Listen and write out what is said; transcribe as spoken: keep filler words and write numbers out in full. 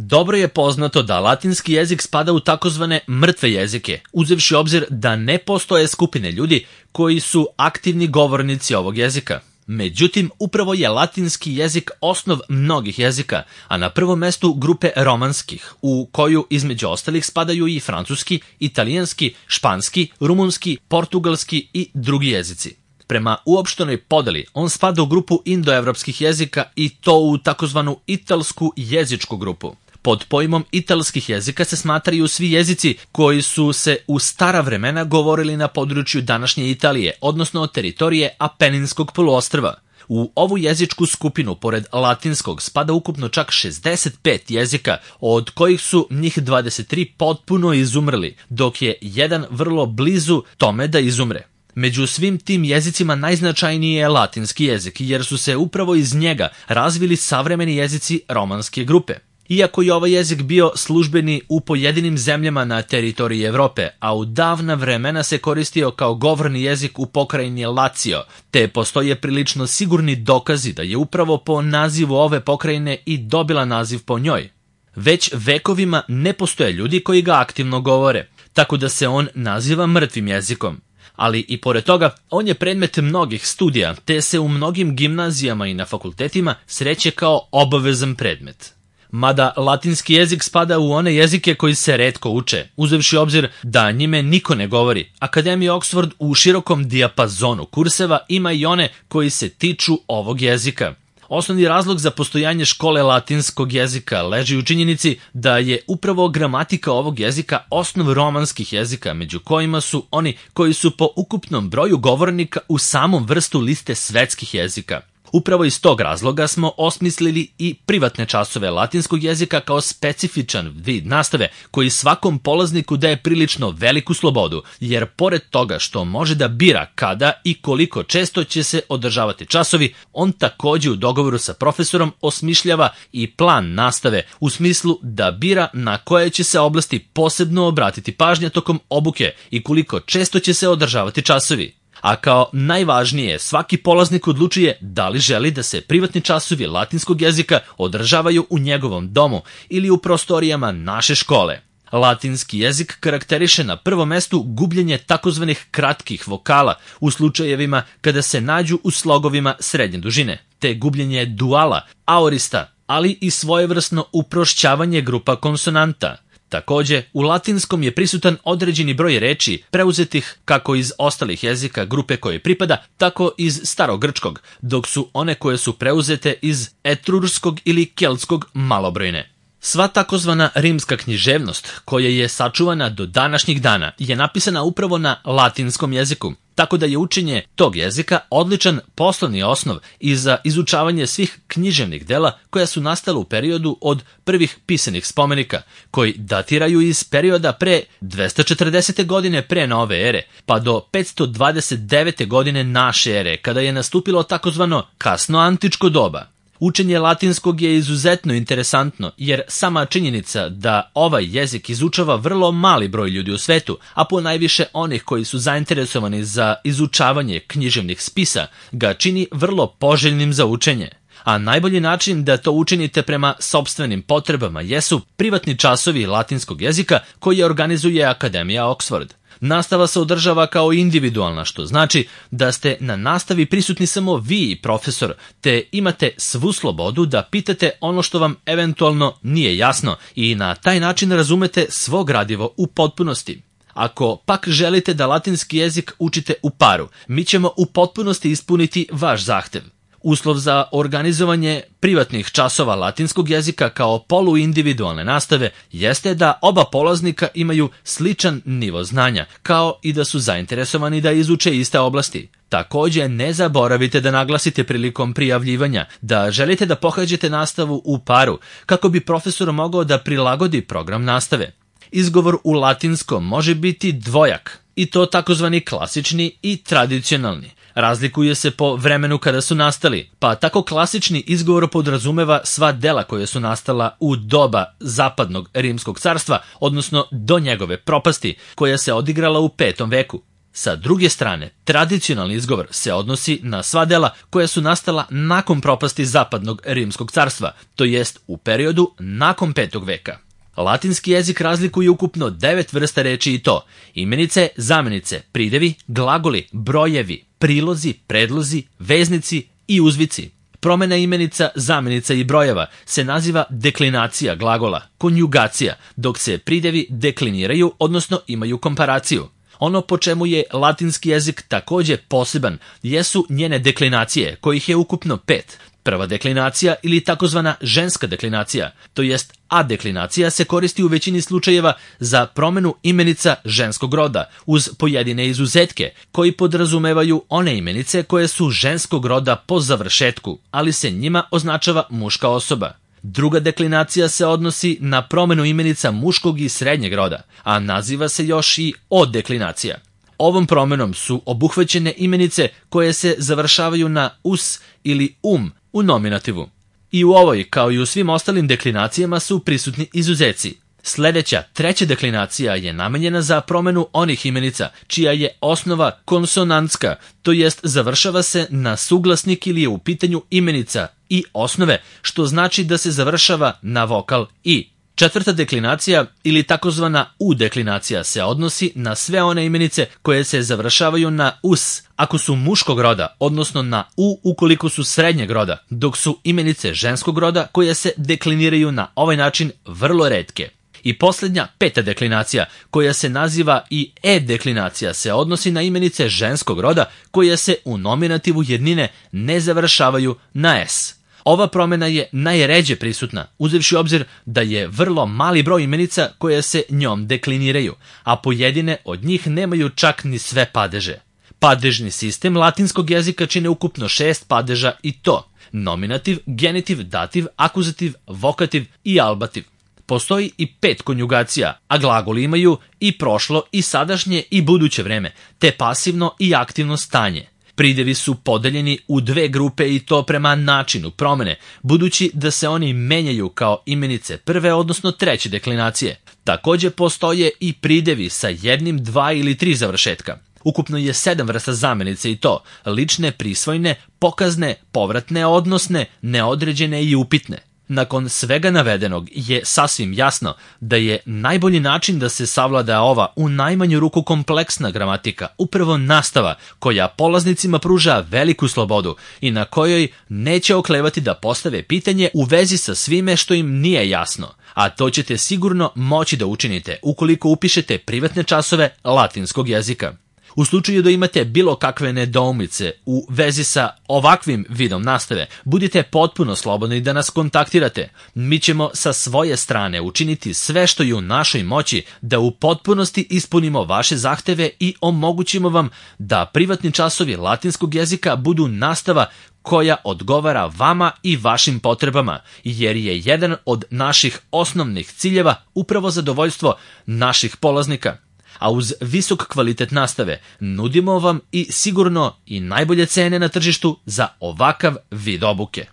Dobro je poznato da latinski jezik spada u takozvane mrtve jezike, uzevši obzir da ne postoje skupine ljudi koji su aktivni govornici ovog jezika. Međutim, upravo je latinski jezik osnov mnogih jezika, a na prvom mestu grupe romanskih, u koju između ostalih spadaju i francuski, italijanski, španski, rumunski, portugalski i drugi jezici. Prema uopštenoj podeli, on spada u grupu indoevropskih jezika i to u takozvanu italsku jezičku grupu. Pod pojmom italskih jezika se smatraju svi jezici koji su se u stara vremena govorili na području današnje Italije, odnosno teritorije Apeninskog poluostrva. U ovu jezičku skupinu, pored latinskog, spada ukupno čak šezdeset pet jezika, od kojih su njih dvadeset tri potpuno izumrli, dok je jedan vrlo blizu tome da izumre. Među svim tim jezicima najznačajniji je latinski jezik, jer su se upravo iz njega razvili savremeni jezici romanske grupe. Iako je ovaj jezik bio službeni u pojedinim zemljama na teritoriji Evrope, a u davna vremena se koristio kao govorni jezik u pokrajini Lazio, te postoje prilično sigurni dokazi da je upravo po nazivu ove pokrajine i dobila naziv po njoj. Već vekovima ne postoje ljudi koji ga aktivno govore, tako da se on naziva mrtvim jezikom. Ali i pored toga, on je predmet mnogih studija, te se u mnogim gimnazijama i na fakultetima sreće kao obavezan predmet. Mada latinski jezik spada u one jezike koji se retko uče, uzevši obzir da njime niko ne govori. Akademija Oxford u širokom dijapazonu kurseva ima i one koji se tiču ovog jezika. Osnovni razlog za postojanje škole latinskog jezika leži u činjenici da je upravo gramatika ovog jezika osnov romanskih jezika, među kojima su oni koji su po ukupnom broju govornika u samom vrstu liste svetskih jezika. Upravo iz tog razloga smo osmislili i privatne časove latinskog jezika kao specifičan vid nastave koji svakom polazniku daje prilično veliku slobodu, jer pored toga što može da bira kada i koliko često će se održavati časovi, on takođe u dogovoru sa profesorom osmišljava i plan nastave u smislu da bira na koje će se oblasti posebno obratiti pažnja tokom obuke i koliko često će se održavati časovi. A kao najvažnije, svaki polaznik odlučuje da li želi da se privatni časovi latinskog jezika održavaju u njegovom domu ili u prostorijama naše škole. Latinski jezik karakteriše na prvom mestu gubljenje takozvanih kratkih vokala u slučajevima kada se nađu u slogovima srednje dužine, te gubljenje duala, aorista, ali i svojevrsno uprošćavanje grupa konsonanta. Takođe, u latinskom je prisutan određeni broj reči preuzetih kako iz ostalih jezika grupe koje pripada, tako iz starogrčkog, dok su one koje su preuzete iz etrurskog ili keltskog malobrojne. Sva takozvana rimska književnost, koja je sačuvana do današnjih dana, je napisana upravo na latinskom jeziku, tako da je učenje tog jezika odličan poslovni osnov i za izučavanje svih književnih dela koja su nastala u periodu od prvih pisanih spomenika, koji datiraju iz perioda pre dvesta četrdesete godine pre nove ere, pa do petsto dvadeset devete godine naše ere, kada je nastupilo takozvano kasno antičko doba. Učenje latinskog je izuzetno interesantno, jer sama činjenica da ovaj jezik izučava vrlo mali broj ljudi u svetu, a po najviše onih koji su zainteresovani za izučavanje književnih spisa, ga čini vrlo poželjnim za učenje. A najbolji način da to učinite prema sopstvenim potrebama jesu privatni časovi latinskog jezika koje organizuje Akademija Oxford. Nastava se održava kao individualna, što znači da ste na nastavi prisutni samo vi i profesor, te imate svu slobodu da pitate ono što vam eventualno nije jasno i na taj način razumete svo gradivo u potpunosti. Ako pak želite da latinski jezik učite u paru, mi ćemo u potpunosti ispuniti vaš zahtev. Uslov za organizovanje privatnih časova latinskog jezika kao poluindividualne nastave jeste da oba polaznika imaju sličan nivo znanja, kao i da su zainteresovani da izuče iste oblasti. Takođe, ne zaboravite da naglasite prilikom prijavljivanja da želite da pohađate nastavu u paru, kako bi profesor mogao da prilagodi program nastave. Izgovor u latinskom može biti dvojak, i to takozvani klasični i tradicionalni. Razlikuje se po vremenu kada su nastali, pa tako klasični izgovor podrazumeva sva dela koja su nastala u doba zapadnog rimskog carstva, odnosno do njegove propasti, koja se odigrala u petom veku. Sa druge strane, tradicionalni izgovor se odnosi na sva dela koja su nastala nakon propasti zapadnog rimskog carstva, to jest u periodu nakon petog veka. Latinski jezik razlikuje ukupno devet vrsta reči i to: imenice, zamenice, pridevi, glagoli, brojevi, prilozi, predlozi, veznici i uzvici. Promena imenica, zamenica i brojeva se naziva deklinacija glagola, konjugacija, dok se pridevi dekliniraju, odnosno imaju komparaciju. Ono po čemu je latinski jezik takođe poseban jesu njene deklinacije, kojih je ukupno pet. Prva deklinacija ili takozvana ženska deklinacija, to jest adeklinacija, se koristi u većini slučajeva za promenu imenica ženskog roda, uz pojedine izuzetke, koji podrazumevaju one imenice koje su ženskog roda po završetku, ali se njima označava muška osoba. Druga deklinacija se odnosi na promenu imenica muškog i srednjeg roda, a naziva se još i odeklinacija. Ovom promenom su obuhvaćene imenice koje se završavaju na us ili um u nominativu. I u ovoj, kao i u svim ostalim deklinacijama, su prisutni izuzeci. Sledeća, treća deklinacija je namenjena za promenu onih imenica čija je osnova konsonantska, to jest završava se na suglasnik ili je u pitanju imenica i osnove, što znači da se završava na vokal i. Četvrta deklinacija ili takozvana u-deklinacija se odnosi na sve one imenice koje se završavaju na us ako su muškog roda, odnosno na u ukoliko su srednjeg roda, dok su imenice ženskog roda koje se dekliniraju na ovaj način vrlo retke. I posljednja, peta deklinacija, koja se naziva i e-deklinacija, se odnosi na imenice ženskog roda koje se u nominativu jednine ne završavaju na s. Ova promena je najređe prisutna, uzevši obzir da je vrlo mali broj imenica koje se njom dekliniraju, a pojedine od njih nemaju čak ni sve padeže. Padežni sistem latinskog jezika čine ukupno šest padeža i to: nominativ, genitiv, dativ, akuzativ, vokativ i albativ. Postoji i pet konjugacija, a glagoli imaju i prošlo i sadašnje i buduće vreme, te pasivno i aktivno stanje. Pridevi su podeljeni u dve grupe i to prema načinu promene, budući da se oni menjaju kao imenice prve, odnosno treće deklinacije. Takođe postoje i pridevi sa jednim, dva ili tri završetka. Ukupno je sedam vrsta zamenice i to: lične, prisvojne, pokazne, povratne, odnosne, neodređene i upitne. Nakon svega navedenog je sasvim jasno da je najbolji način da se savlada ova u najmanju ruku kompleksna gramatika upravo nastava koja polaznicima pruža veliku slobodu i na kojoj neće oklevati da postave pitanje u vezi sa svime što im nije jasno, a to ćete sigurno moći da učinite ukoliko upišete privatne časove latinskog jezika. U slučaju da imate bilo kakve nedoumice u vezi sa ovakvim vidom nastave, budite potpuno slobodni da nas kontaktirate. Mi ćemo sa svoje strane učiniti sve što je u našoj moći da u potpunosti ispunimo vaše zahteve i omogućimo vam da privatni časovi latinskog jezika budu nastava koja odgovara vama i vašim potrebama, jer je jedan od naših osnovnih ciljeva upravo zadovoljstvo naših polaznika. A uz visok kvalitet nastave nudimo vam i sigurno i najbolje cene na tržištu za ovakav vid obuke.